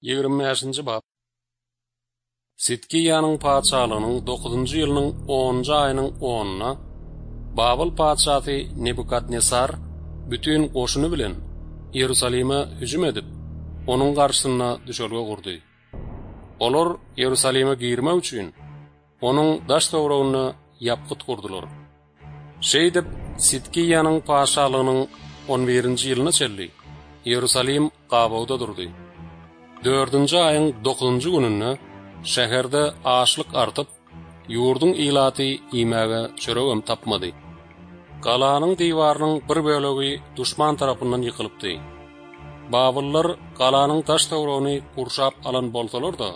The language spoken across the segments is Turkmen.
25-nji bap. Sidkiýanyň patyşalygynyň dokuzynjy ýylynyň onunjy aýynyň onuna Babyl patyşasy Nebukadnesar bütin goşuny bilen Iýerusalime hüjüm edip, onuň garşysynda düşelge gurdy. Olar Iýerusalime girmek üçin, onuň daş-töwereginde ýapgyt gurdular. Şeýdip, Sidkiýanyň patyşalygynyň on birinji ýylyna çenli Iýerusalim gabawda durdy. Dördünji aýyň dokuzynjy gününde şäherde açlyk artyp, ýurduň ilaty iýmäge çöregem tapmady. Galanyň diwarynyň bir bölegi duşman tarapyndan ýykylypdy. Babyllar galanyň daş-töweregini gurşap alan bolsalar-da,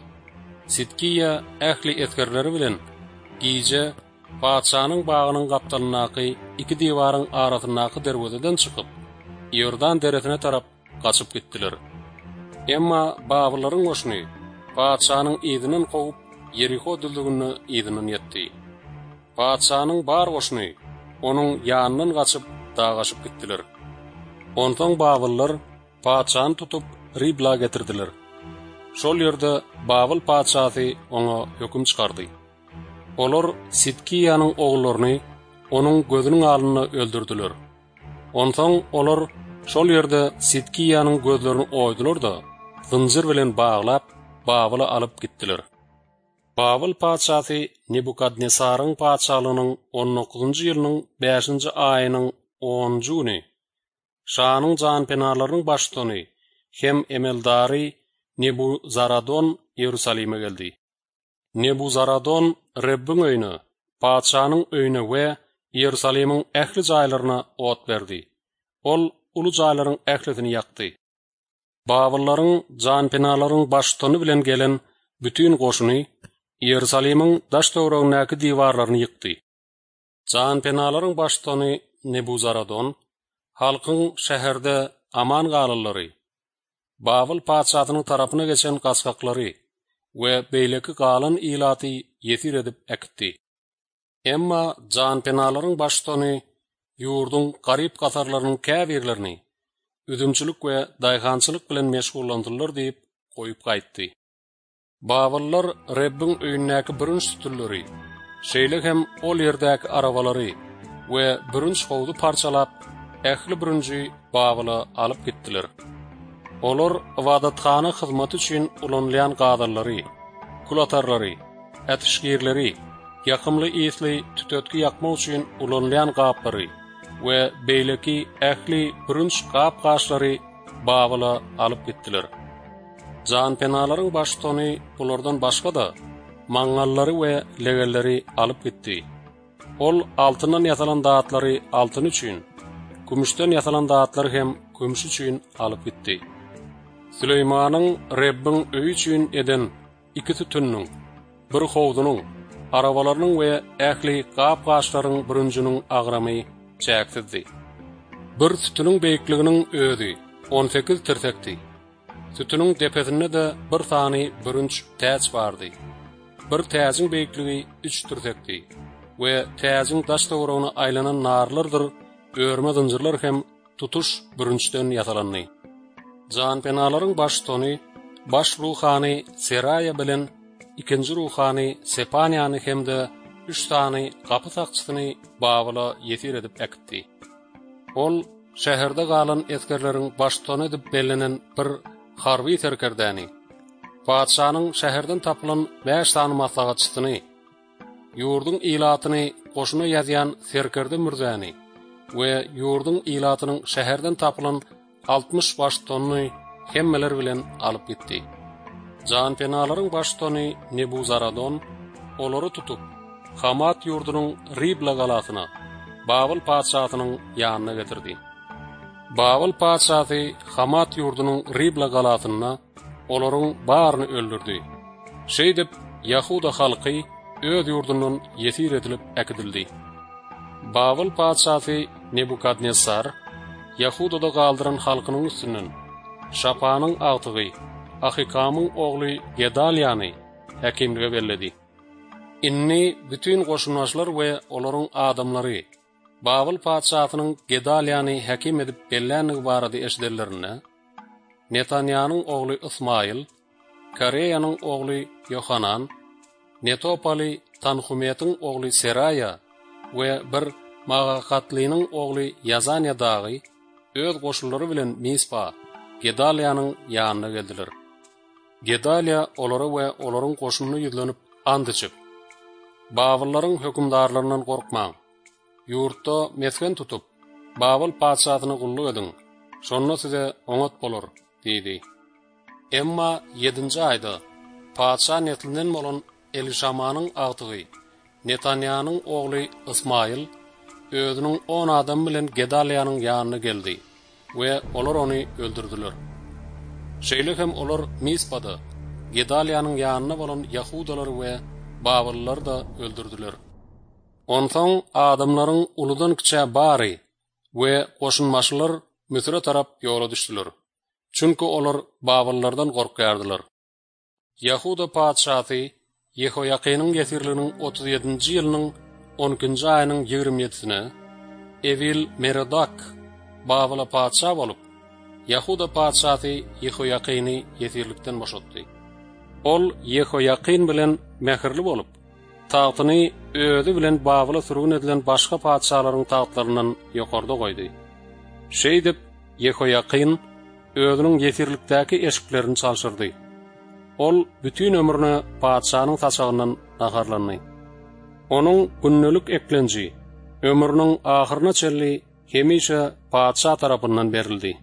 Sidkiýa ähli esgerleri bilen gije Patyşanyň bagynyň gapdalyndaky iki diwaryň arasyndaky derwezeden çykyp, Iordan deresine tarap gaçyp gitdiler. Emma babyllaryň goşuny patyşanyň yzyndan kowup, Ýeriho düzlüginde yzyndan ýetdi. Patyşanyň bar goşuny onuň ýanyndan gaçyp, dagaşyp gitdiler. Onsoň babyllar patyşany tutup, Ribla getirdiler. Şol ýerde Babyl patyşasy oňa höküm çykardy. Olar Sidkiýanyň ogullaryny onuň gözüniň alnynda öldürdiler. Onsoň olar şol ýerde Sidkiýanyň gözlerini oýdular-da, zynjyr bilen baglap, Babyla alyp gitdiler. Babyl patyşasy Nebukadnesaryň patyşalygynyň on dokuzynjy ýylynyň bäşinji aýynyň onunjy güni şanyň janpenalarynyň baştutany hem emeldary Nebuzaradon Iýerusalime geldi. Nebuzaradon Rebbiň öýüne, patyşanyň öýüne we Iýerusalimiň ähli jaýlaryna ot berdi. Ol uly jaýlaryň ählisini ýakdy. Babyllaryň janpenalaryň baştutany bilen gelen bütin goşuny Iýerusalimiň daş-töweregindäki diwarlaryny ýykdy. Janpenalaryň baştutany Nebuzaradon halkyň şäherde aman galanlary, Babyl patyşasynyň tarapyna geçen gaçgaklary we beýleki galan ilaty ýesir edip äkitdi. Emma janpenalaryň baştutany ýurduň garyp-gasarlarynyň käbirlerini üzümçilik we daýhançylyk bilen meşgullansynlar diýip goýup gaýtdy. Babyllar Rebbiň öýündäki bürünç sütünleri, şeýle hem ol ýerdäki arabalary we bürünç howzy parçalap, ähli bürünji Babyla alyp gitdiler. Olar ybadathana hyzmaty üçin ulanylýan gazanlary, kulatarlary, ätişgirleri, ýakymly ysly tütetgi ýakmak üçin ulanylýan gaplary we beýleki ähli bürünç gap-gaçlary Babyla alyp gitdiler. Janpenalaryň baştutany bulardan başga-da, maňňallary we legenleri alyp gitdi. Ol altyndan ýasalan zatlary altyny üçin, kümüşden ýasalan zatlary hem kümşi üçin alyp gitdi. Süleýmanyň Rebbiň öýi üçin eden iki sütüniniň, bir howzunyň, arabalarynyň we ähli gap-gaçlaryň bürünjiniň agramy çäksizdi. Bir sütüniň beýikliginiň özi on sekiz tirsekdi. Sütüniň depesinde-de bir sany bürünç täç bardy. Bir täjiň beýikligi üç tirsekdi we täjiň daş-töweregine aýlanan narlardyr örme zynjyrlar hem tutuş bürünçden ýasalandy. Janpenalaryň baştutany baş ruhany Seraýa bilen ikinji ruhany Sepanýany hem-de üç sany gapy sakçysyny Babyla ýesir edip äkitdi. Ol şäherde galan esgerleriň baştutany edip bellenen bir harby serkerdäni, patyşanyň şäherden tapylan bäş sany maslahatçysyny, ýurduň ilatyny goşuna ýazýan serkerde mürzäni we ýurduň ilatynyň şäherden tapylan 60 baştutanyny hemmeler bilen alyp gitdi. Janpenalaryň baştutany Nebuzaradon olary tutup, Hamat ýurdunyň Ribla galasyna, Babyl patyşasynyň ýanyna getirdi. Babyl patyşasy Hamat ýurdunyň Ribla galasynda olaryň baryny öldürdi. Şeýdip, ýahuda halky öz ýurdundan ýesir edilip äkidildi. Babyl patyşasy Nebukadnessar Ýahudada galdyran halkynyň üstünden Şapanyň agtygy Ahykamyň ogly Gedalýany häkimlige belledi. Indi bütin goşunbaşylar we olaryň adamlary Babyl patyşasynyň Gedalýany häkim edip bellänligi barada eşidenlerinde, Netanýanyň ogly Ysmaýyl. Kareýanyň ogly Ýohanan, Netopaly Tanhumetiň ogly Seraýa we bir Magakatlynyň ogly Ýazanýa dagy öz goşunlary bilen Mispa, Gedalýanyň ýanyna geldiler. Gedalýa olara we olaryň goşunyna ýüzlenip ant içip, Babyllaryň hökümdarlaryndan gorkmaň. Ýurtda mesgen tutup, Babyl patyşasyna gulluk ediň, şonda size oňat bolar diýdi. Emma ýedinji aýda patyşa neslinden bolan Elişamanyň agtygy Netanýanyň ogly Ysmaýyl özüniň on adamy bilen Gedalýanyň ýanyna geldi we olar ony öldürdiler. Şeýle hem olar Mispada Gedalýanyň ýanynda bolan ýahudalary we babyllylary-da öldürdiler. Onsoň adamlaryň uludan-kiçä bary we goşunbaşylar Müsüre tarap ýola düşdüler. Çünki olar babyllardan gorkýardylar. Ýahuda patyşasy Ýehoýakynyň ýesirliginiň 37 ýedinji ýylynyň on ikinji aýynyň 27 ýedisine Ewil-Merodak Babyla patyşa bolup, Ýahuda patyşasy Ýehoýakyny ýesirlikden boşatdy. Ol Ýehoýakyn bilen mähirli bolup, tagtyny özi bilen Babyla sürgün edilen başga patyşalaryň tagtlaryndan ýokarda goýdy. Şeýdip, Ýehoýakyn özüniň ýesirlikdäki eşiklerini çalşyrdy. Ol bütin ömrüne patyşanyň saçagyndan naharlandy. Onuň gündelik eklenji ömrüniň ahyryna çenli hemişe patyşa tarapyndan berildi.